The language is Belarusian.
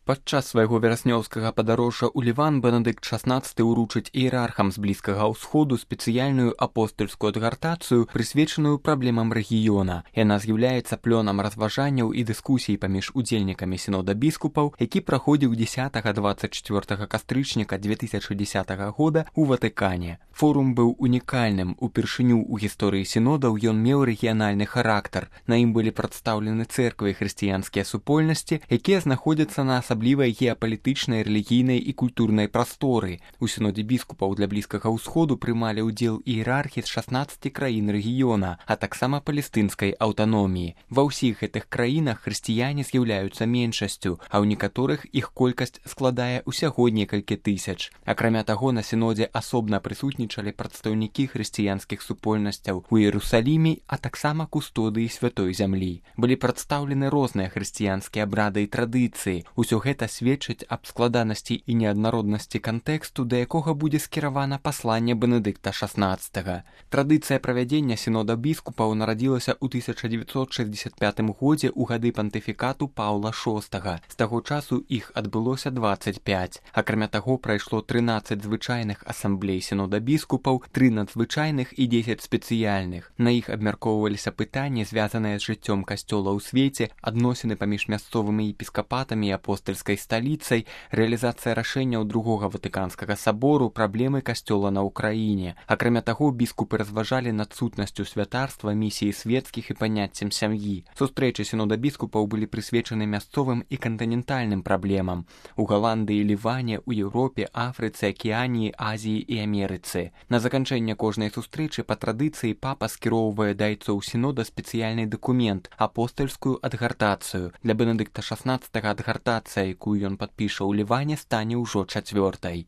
Падчас свайго вераснёўскага падарожжа ў Ліван Бенедыкт XVI ўручыць іерархам з Блізкага ўсходу спецыяльную апостальскую адгартацыю, прысвечаную праблемам рэгіёна. Яна з'яўляецца плёнам разважанняў і дыскусій паміж удзельнікамі сінода біскупаў, які праходзіў 10-24 кастрычніка 2010 года ў Ватыкане. Форум быў унікальным. Упершыню ў гісторыі сінодаў ён меў рэгіянальны характар. На ім былі прадстаўлены цэрквы і хрысціянскія супольнасці, якія знаходзяцца на асаблівай геапалітычнай, рэлігійнай і культурнай прасторы. У сінодзе біскупаў для Блізкага ўсходу прымалі ўдзел іерархі з 16 краін рэгіёна, а таксама палестынскай аўтаноміі. Ва ўсіх гэтых краінах хрысціяне з'яўляюцца меншасцю, а ў некаторых іх колькасць складае ўсяго некалькі тысяч. Акрамя таго, на сінодзе асобна прысутнічалі прадстаўнікі хрысціянскіх супольнасцяў у Іерусаліме, а таксама кустодыі святой зямлі. Былі прадстаўлены розныя хрысціянскія абрады і традыцыі. Усё гэта сведчыць аб складанасці і неаднароднасці кантэксту, да якога будзе скіравана пасланне Бенедыкта XVI. Традыцыя правядзення сінода біскупаў нарадзілася ў 1965 годзе ў гады пантыфікату Паўла VI. З таго часу іх адбылося 25. Акрамя таго, прайшло 13 звычайных асамблей сінода біскупаў, 3 надзвычайных і 10 спецыяльных. На іх абмяркоўваліся пытанні, звязаныя з жыццём касцёла ў свеце, адносіны паміж мясцовымі епіскапатамі і апостальскай сталіцай, рэалізацыя рашэнняў Другога Ватыканскага сабору, праблемы касцёла на Ўкраіне. Акрамя таго, біскупы разважалі над сутнасцю святарства, місіі свецкіх і паняццем сям'і. Сустрэчы сінода біскупаў былі прысвечаны мясцовым і кантынентальным праблемам у Галандыі, Ліване, у Еўропе, Афрыцы, Акіяніі, Азіі і Амерыцы. На заканчэнне кожнай сустрэчы па традыцыі папа скіроўвае да айцоў сінода спецыяльны дакумент — апостальскую адгартацыю. Для Бенедыкта XVI адгартацыя, якую ён падпіша ў Ліване, стане ўжо 4-й.